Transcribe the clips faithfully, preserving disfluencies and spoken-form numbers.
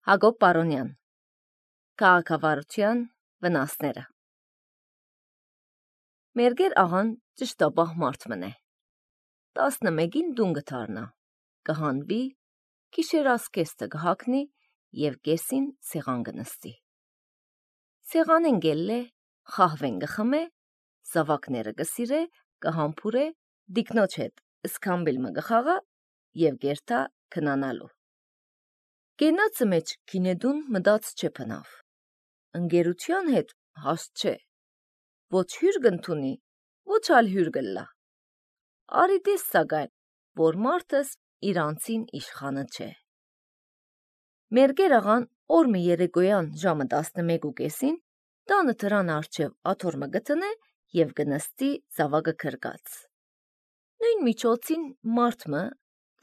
Հակոբ Պարոնյան Քաղաքավարության վնասները Մերգեր աղան ճշտապահ մարդ մնե։ Տասնմեկին դուն գթարնա, կհանվի, գիշեր ասկեստը գհակնի և կեսին սեղան գնստի։ Սեղանեն գելլե, խահվեն գխմե, զավակները գսիրե, կհամփուրե, դիկնոջ հետ սկամբիլմը գխաղա և գերտա քնանալու։ Գենացը մեջ կինեդուն մդաց չէ փնավ, ընկերության հետ հաստ չէ, ոչ հյուր գնթունի, ոչ ալ հյուր գլլա։ Արի դես սագայն, որ մարդս իրանցին իշխանը չէ։ Մերգեր աղան օրմը երեկոյան ժամը տասնմեկու կեսին տանը թրան արջև աթորմը գտնե և գնստի զավակը քրկած։ Նույն միջոցին մարդմը,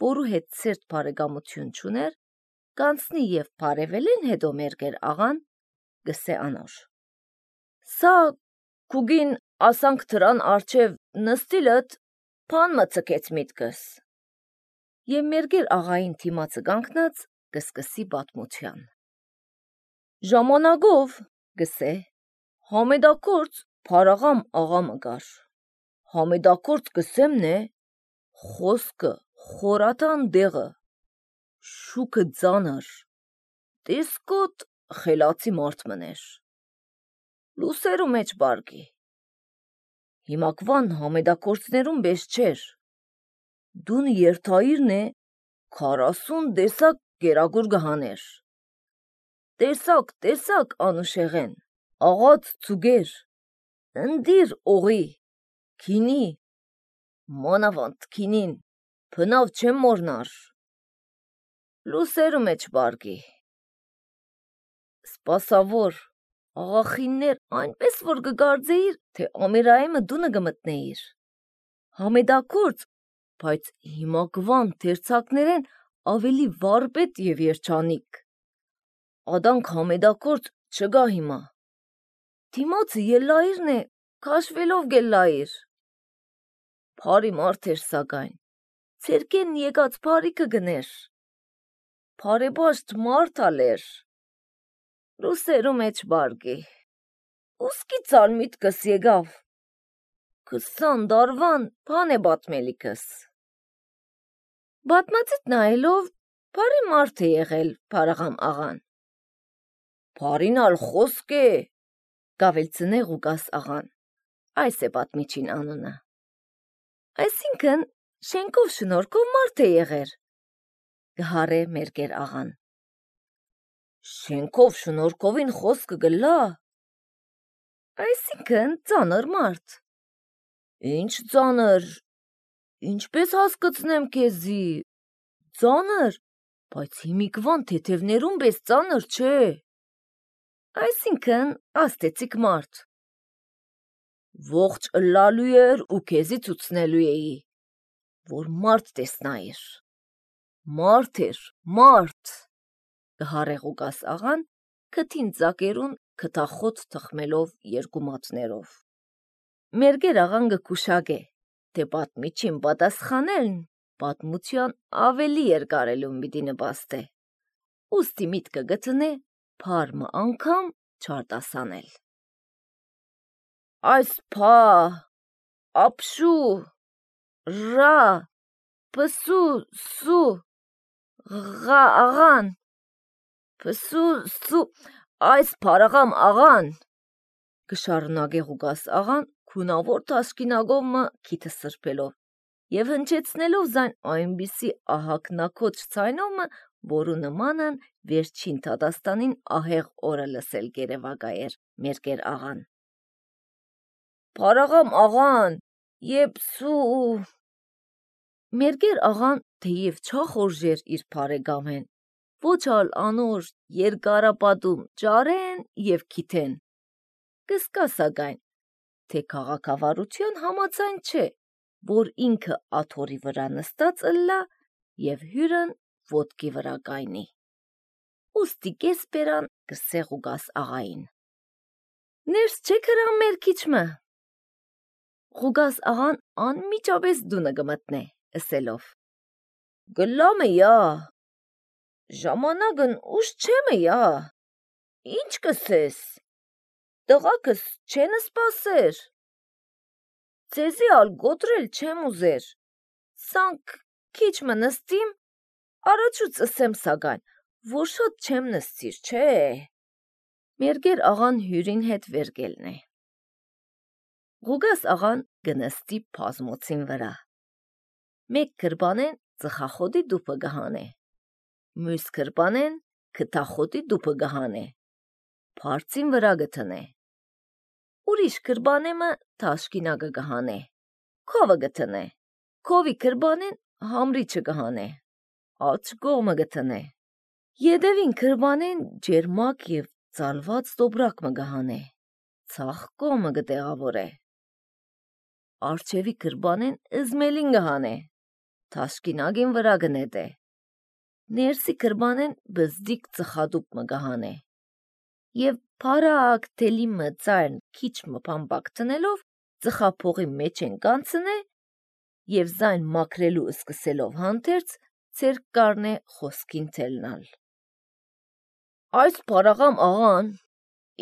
որու հետ սերտ բարեկամություն չուներ, կանցնի և բարևելեն հետո մերգեր աղան գսե անոր. Սա կուգին ասանք թրան արջև նստիլըտ պան մծկեց միտքս։ Եվ մերգեր աղային թիմացը գանքնած գսկսի բատմության։ Ժամանագով գսե համեդակորց փարաղամ աղամը գար։ Համեդակորց գսեմն է խոսքը խորատան դեղը, շուքը ձանր, տեսկոտ խելացի մարդ մներ, լուսերու մեջ բարգի, հիմակվան համեդակորցներուն բես չեր, դուն երթայիրն է քարասուն դեսակ գերագուր գհաներ, տեսակ տեսակ անուշեղեն, աղաց ծուգեր, ընդիր օղի, քինի, մանավանդ քինին, փնավ չեմ մորնար, լուսերու մեջ բարգի, սպասավոր, աղախիններ այնպես որ գգարձեիր, թե ամիրայեմը դունը գմտնեիր, համեդակորց, բայց հիմակվան թերցակներեն ավելի վարպետ և երջանիկ, ադանք համեդակորց չգա հիմա, դիմացը ելլայիրն է, կաշվելով գելլայիր, պարի մարդ էր սագայն, ցերկեն եկած պարիքը գներ, պարեբաշտ մարդ ալեր, լուսերու մեջ բարգի, ուսկիցալ միտքս եկավ, քսան դարվան պան է բատմելիքս։ Բատմածիտ նայելով, պարի մարդ է եղել պարաղամ աղան։ Պարին ալ խոսք է, գավելցնե Ղուկաս աղան, այս է պատմիչին անունը։ Այսինքն շենքով շնորհքով մարդ է եղեր, գհարե մերգեր աղան։ Շենքով շնորհքովին խոսքը գլա, այսինքն ծանր մարդ։ Ինչ ծանր, ինչպես հասկացնեմ քեզի, ծանր, բայց հիմիկվան թեթևներուն պես ծանր չէ, այսինքն աստեցիկ մարդ։ Ողջ ըլլալու էր ու քեզի ցուցնելու էի, որ մարդ տեսնայիր, մարդ էր, մարդ, գհարե Ղուկաս աղան, քթին ծակերուն քթախոտ թխմելով երկու մատներով։ Մերգեր աղան գկուշագե, թե պատմիչին պատասխանելն պատմության ավելի երկարելուն պիտի նպաստե, ուստի միտքը գտնե փարմը անգամ չարտասանել։ Այս փա, ապշու, ռա, պսու, սու, ղա աղան, պսու, սու, այս փարաղամ աղան, գշարունակե Ղուկաս աղան քունավոր թաշկինագովմը քիթը սրբելով և հնչեցնելով զայն այնպիսի ահագնակոչ ցայնովմը, որու նմանն վերջին դատաստանին ահեղ օրը լսել գերեվակայեր մերգեր աղան։ Փարաղամ աղան, եփսու… Մերգեր աղան թեև չախորժեր իր բարեկամեն, ոչ ալ անոր երկարապատում ճարեն և քիթեն, կսկա սակայն, թե քաղաքավարության համաձայն չէ, որ ինքը աթորի վրա նստած ըլլա և հյուրն ոտքի վրա կայնի։ Ուստի կեսպերան գսե Ղուկաս աղային. Ներս չէ քրամ մերքիչմը։ Ղուկաս աղան անմիջապես դունը գմտնե, ըսելով. Գլամը յա, ժամանակն ուշ չեմը յա, ինչ կսես, տղակս չեն սպասեր, ձեզի ալ գոտրել չեմ ուզեր, սանք քիչ մը նստիմ, առաջուց ըսեմ սագայն, որ շատ չեմ նստիր, չէ։ Մերգեր աղան հյուրին հետ վերգելն է։ Ղուգաս աղան գնստի պազմոցին վրա։ Մեկ կրբանեն ծխախոտի դուպը գահանե, մյուս կրբանեն քթախոտի դուպը գահանե, փարծին վրա գտնե։ Ուրիշ կրբանեմը թաշկինագը գահանե, քովը գտնե, քովի կրբանեն համրիչը գահանե, աջ գողմը գտնե, յետևին կրբանեն ջերմակ և ծալված տոբրակը գահանե, ցախ կողմը գտեղավորե։ Արջևի կրբանեն ըզմելին գահանե, թաշկինագին վրա գնետե, ներսի կրբանեն բզդիկ ծխադուպ մը գահանե, և փարակ թելի մը ծայրն քիչ մը փամբակ տնելով ծխափողի մեջ են կանցնե և զայն մաքրելու սկսելով հանդերձ ցերկ կարնե խոսքին թելնալ։ Այս փարաղամ աղան,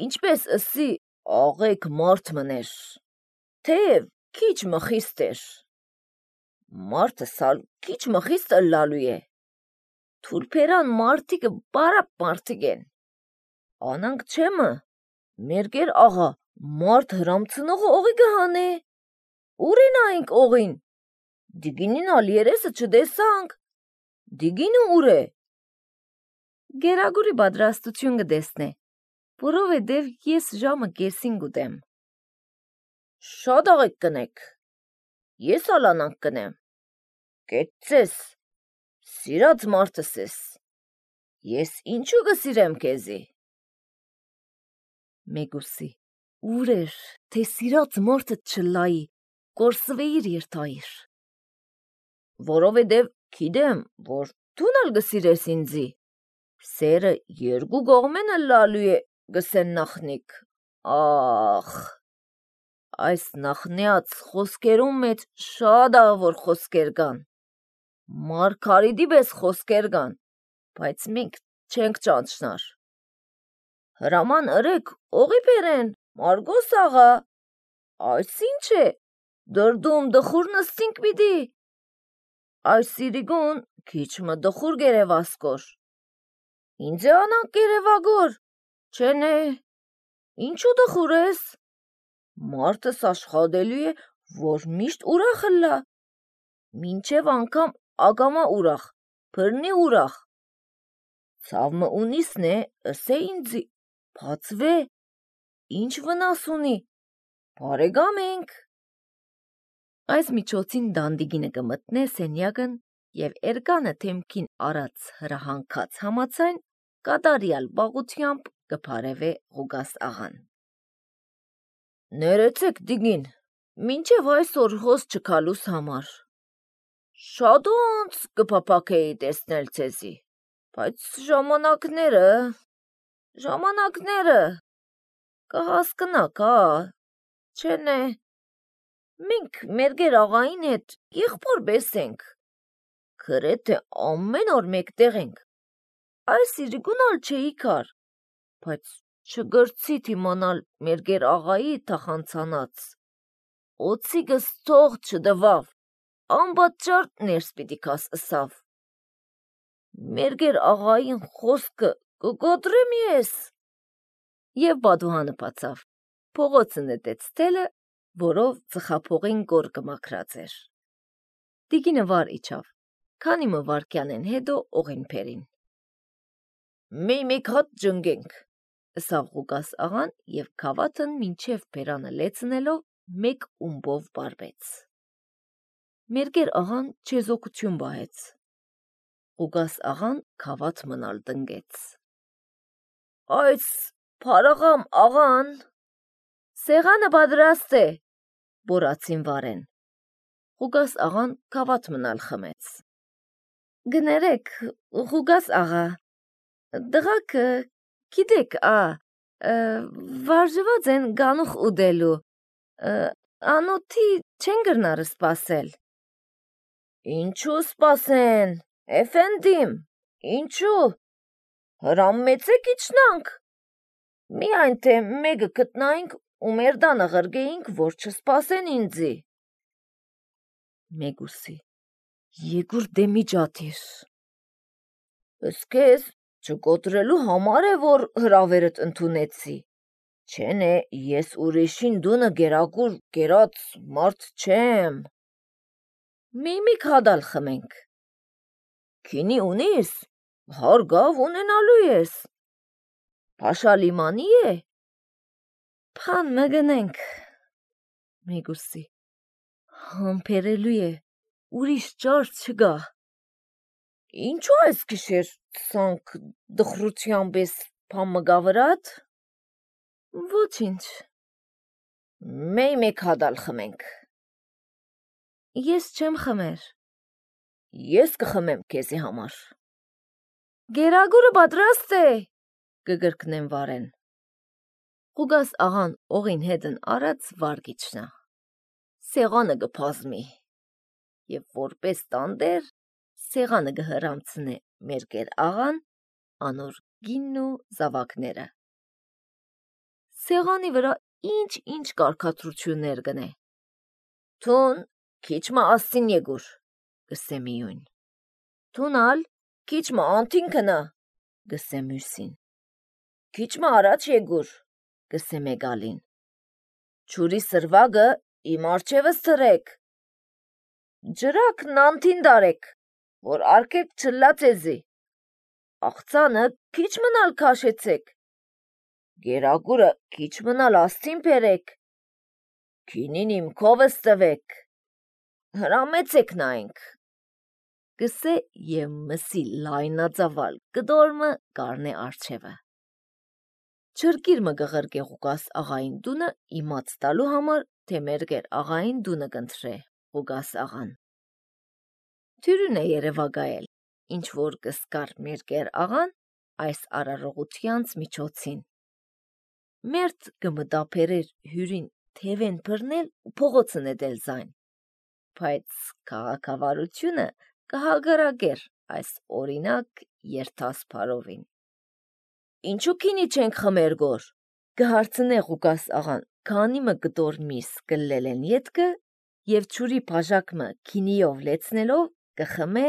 ինչպես ըսի աղեկ մարդ մներ, թեև քիչ մը խիստ էր, մարդը սալ քիչ մը խիստ ըլլալու է, թուրբերան մարդիկը բարապ մարդիկ են, անանք չեմը, մերգեր աղա մարդ հրամցնողը օղի գահանե, ուր են այնք օղին, դիգինին ալ երեսը չդեսանք, դիգինը ուր է։ Գերագուրի բադրաստություն գդեսնե, որովհետև ես ժամը կեսին գուտեմ։ Շատ աղեք կնեք, ես ալանանք կնեմ, կեցես, սիրած մարդս ես, ես ինչու գսիրեմ կեզի։ Մեգուսի, ուր էր, թե սիրած մարդը չլայի, կորսվեիր երթայիր։ Որովհետև գիտեմ, որ դուն ալ գսիրես ինձի, սերը երկու կողմեն ըլլալու է գսեն նախնիկ, ախ, այս նախնյաց խոսքերում մեջ շատ աղավոր խոսքեր կան, մարգարիտի պես խոսքեր կան, բայց մենք չենք ճանչնար։ Հրաման ըրեք օղի բերեն, Մարգոս աղա, այս ինչ է, դրդում դխուր նստինք պիտի, այս սիրիգուն քիչ մը դխուր գերևասկոր, ինձ է անանք գերևագոր, չենե, ինչու դխուր ես, մարդս աշխատելու է, որ միշտ ուրախ ըլլա, մինչև անգամ ագամա ուրախ, բրնի ուրախ, ցավմը ունիսն է, ըսե ինձի, բացվե, ինչ վնաս ունի, բարեկամ ենք։ Այս միջոցին դանդիգինը կմտնե սենյակն և էրկանը թեմքին արած հրահանգած համացայն կատարյալ բաղությամբ կփարևե Ղուգաս աղան։ Ներեցեք դիգին, մինչև այսօր հոս չքալուս համար, շատ ոնց կփափաքեի տեսնել ցեզի, բայց ժամանակները, ժամանակները, կհասկնաք, ա, չենե, մենք մերգեր աղային հետ եղբոր պես ենք, գրեթե ամեն օր մեկտեղ ենք, այս իրիկուն ալ չէի կար, բայց չգրցիդ իմանալ մերգեր աղայի թախանցանած, օծիկս թող չդվավ, անպատճառ ներս պիտի քաս ըսավ, մերգեր աղային խոսքը կգոտրեմ ես, և բադուհանը պացավ, փողոցը նետեց թելը, որով ծխափողին գոր կմաքրած էր։ Տիկինը վար իջավ, քանի մը վարկյանեն հետո օղին փերին։ Մի մի հատ ջնգենք, ըսավ Ղուգաս աղան և քավաթն մինչև բերանը լեցնելով մեկ ումբով բարբեց։ Մերգեր աղան չեզոքություն բահեց։ Ղուգաս աղան քավաթ մնալ տնկեց։ Այս փարաղամ աղան, սեղանը պատրաստ է, բորացին վարեն։ Ղուգաս աղան քավաթ մնալ խմեց։ Գներեք, Ղուգաս աղա, դղակը, գիտեք, ա, վարժված են գանուխ ուդելու, անոթի չեն գրնար սպասել։ Ինչու սպասեն, էֆենդիմ, ինչու, Հրամեցեք իջնանք։ Միայն թե մեկը գտնայինք ու մեր դանը ղրգեինք, որ չսպասեն ինձի։ Մեգուսի. Եգուր դեմի ջաթիր։ Ըստ քեզ չկոտրելու համար է, որ հրավերդ ընդունեցի։ Չեն է, ես ուրիշին դունը գերագուր գերած մարդ չեմ։ Մի-մի քադալ խմենք։ Քինի ունիս, հարգավ ունենալու ես։ Փաշալիմանի է։ Փան մգնենք։ Մեգուսի. Համբերելու է, ուրիշ ճար չգա։ Ինչու այս գիշեր ցանք դխրությամբ ես փան մգավրատ։ Ոչինչ։ Մեկ մեկ հադալ խմենք։ Ես չեմ խմեր։ Ես կխմեմ քեզի համար։ Գերագուրը պատրաստ է, կգրկնեմ վարեն։ Ղուգաս աղան օղին հետն արած վարգիչնա։ Սեղանը գփազմի։ Եվ որպես տանդեր, սեղանը գհրամցնե մերկեր աղան, անոր գինն ու զավակները։ Սեղանի վրա ինչ-ինչ կարգադրություններ գնե։ Թուն քիչմա ասին եգուր, գսե միույն։ Թունալ քիչմա անթին կնա, գսե մյուսին։ Քիչմա առաջ եգուր, գսե մեգալին։ Չուրի սրվագը իմ արջևս թրեք։ Ջրակ նանթին դարեք, որ արկեք չլացեզի։ Աղցանը քիչ մնալ քաշեցեք։ Գերագուրը քիչ մնալ աստին պերեք, քինին իմ քովս տվեք, հրամեցեք նայենք, գսե և մսի լայնածավալ կդորմը կարնե արջևը։ Չրկիրմը գղրգե Ղուգաս աղային դունը իմաց տալու համար, թե մերգեր աղային դունը կընտրե Ղուգաս աղան։ Թյուրուն է երևագայել, ինչ որ կսկար մերգեր աղան այս արարողությանց միջոցին։ Մերդ կմտապերեր հյուրին թևեն բռնել ու փողոցը նետել զայն, բայց քաղաքավարությունը կհագարակեր այս օրինակ երթասփարովին։ Ինչու քինի չենք խմեր գոր, կհարցնե Ղուգաս աղան, քանի մը կտոր միս կլել են ետքը և չուրի բաժակմը քինիով լեցնելով կխմե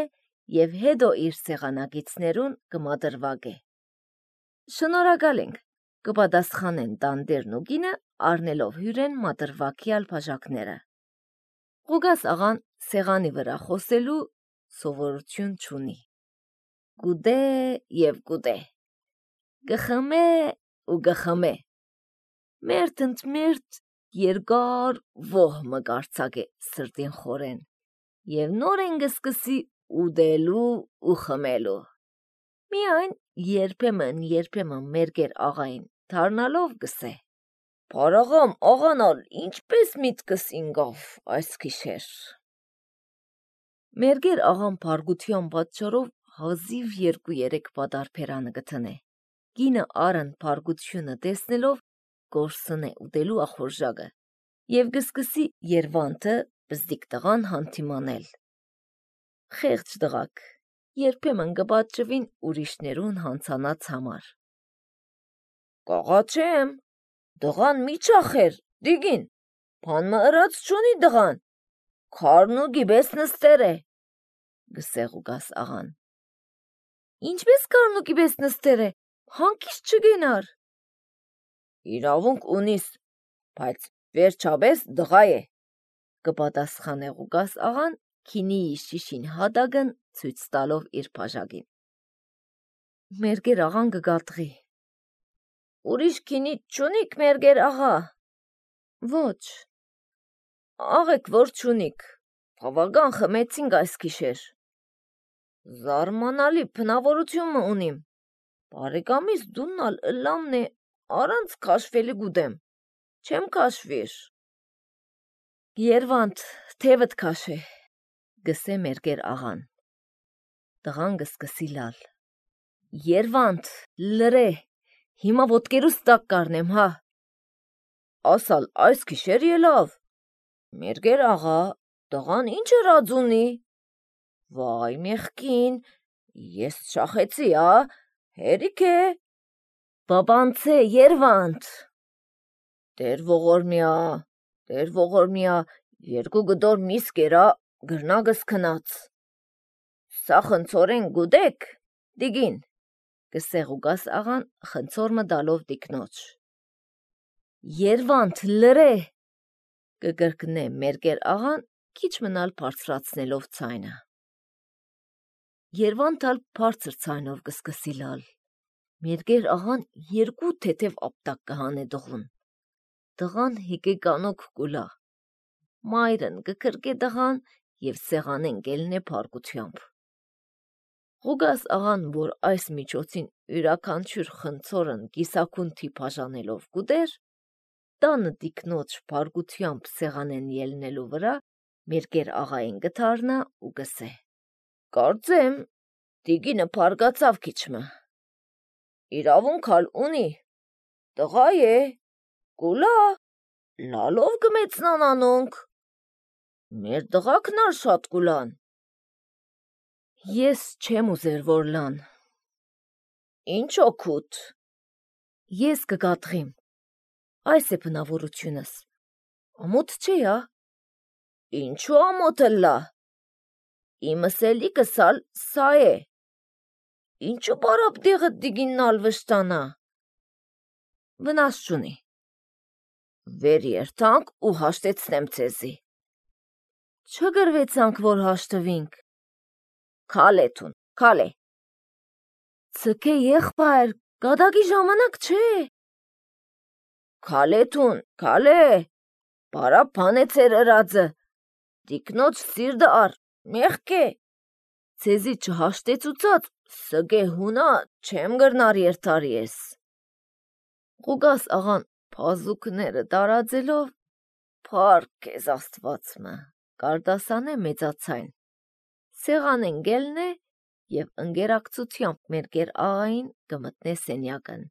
և հետո իր սեղանագիցներուն կմադրվագե։ Շնորհակալ ենք, կպատասխանեն տանդերն ու գինը առնելով հյուրեն մադրվակյալ բաժակները։ Ղուգաս աղան սեղանի վրա խոսելու սովորություն չունի։ Գուդե և գուդե, գխմե ու գխմե, մերդ ընդ մերդ երկար ոհ մկարծագե սրտին խորեն և նորեն գսկսի ուդելու ու խմելու։ Միայն երբեմն երբեմն մերգեր աղային դառնալով գսե. Փարաղամ աղանալ ինչպես միտքս ինգավ այս գիշեր։ Մերգեր աղան փարգության պատճառով հազիվ երկու-երեք պատարբերանը գտնե։ Կինը արն փարգությունը տեսնելով կորսնե ուտելու ախորժակը և գսկսի երվանթը բզդիկ տղան հանդիմանել։ Խեղճ տղաք, երբեմն կպատճվին ուրիշներուն հանցանած համար։ Կաղաչեմ, դղան մի չախեր, դիգին, բան մը ըրած չունի դղան, քարն ու գիբես նստեր է, գսե Ղուգաս աղան։ Ինչպես քարն ու գիբես նստեր է, հանկիստ չգենար։ Իրավունք ունիս, բայց վերջապես դղա է, կպատասխանե Ղուգաս աղան քինիի շիշին հատակն ցույց տալով իր բաժակին։ Մերգեր աղան կգատղի։ Ուրիշ քինի չունիք մերգեր աղա։ Ոչ։ Աղեք որ չունիք, բավական խմեցինք այս գիշեր։ Զարմանալի բնավորություն ունիմ։ Բարեկամիս դուննալ ըլամն է առանց քաշվելի գուդեմ, չեմ քաշվիր։ Երվանդ թևդ քաշե, գսե մերգեր աղան։ Տղան կսկսի լալ։ Երվանդ լրե, հիմա ոտքերուս տակ կարնեմ, հա։ Ասալ այս գիշեր ելավ։ Մերգեր աղա, տղան ինչ հրած ունի։ Վայ մեղքին, ես շախեցի, ա, Հերիք է, բաբանցե Երվանդ։ Դեր ողորմյա, դեր ողորմյա, երկու գդոր միս կերա գրնագս քնած։ Սա խնցորեն գուդեք, դիգին, կսեղուգաս աղան խնցորմը դալով դիկնոջ։ Երվանդ լրե, կգրկնե մերգեր աղան քիչ մնալ բարձրացնելով ցայնը։ Երվանդ ալ բարձր ցայնով կսկսի լալ։ Մերգեր աղան երկու թեթև ապտակ կհանե դղուն։ Դղան հիկե կանոք կուլա։ Մայրն կկրկե դղան և սեղանեն գելնե փարկությամբ։ Ղուգաս աղան, որ այս միջոցին յուրաքանչյուր խնցորն կիսաքունթի բաժանելով կուտեր, տանը դիկնոջ փարկությամբ սեղանեն ելնելու վրա մերգեր աղային գթարնա ու գսե. Կարծեմ, դիգինը փարգացավ քիչմը։ Իրավունք ալ ունի, տղա է, կուլա, լալով կմեծնան անոնք։ Մեր տղաքն ալ շատ կուլան։ Ես չեմ ուզեր որ լան։ Ինչ օգուտ։ Ես կգատղիմ։ Այս է բնավորությունս։ Ամոթ չէ, ա։ Ինչու ամոթը լա։ Իմս էլիկս ալ սա է։ Ինչու բարապ դեղդ դիգինն ալ վշտանա։ Վնաս չունի։ Վեր երթանք ու հաշտեցնեմ ցեզի։ Չգրվեցանք, որ հաշտվինք։ Քալեթուն, քալե։ Ցկե եղբայր, գադագի ժամանակ չէ։ Քալեթուն, քալե, բարապ բան է ծեր ըրածը, դիկնոջ սիրդը ար, մեղք է, ցեզի չհաշտեցուցած, սգե հունա չեմ գրնար երթար ես։ Ղուգաս աղան փազուկները տարածելով, փառք քեզ Աստվածմը, կարդասանե մեծացայն, սեղանեն գելնե և ընկերակցությամբ մերգեր աղային կմտնե սենյակն,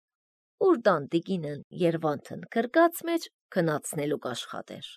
ուր տան տիկինն Երվանդն կրկած մեջ քնացնելու կաշխատեր։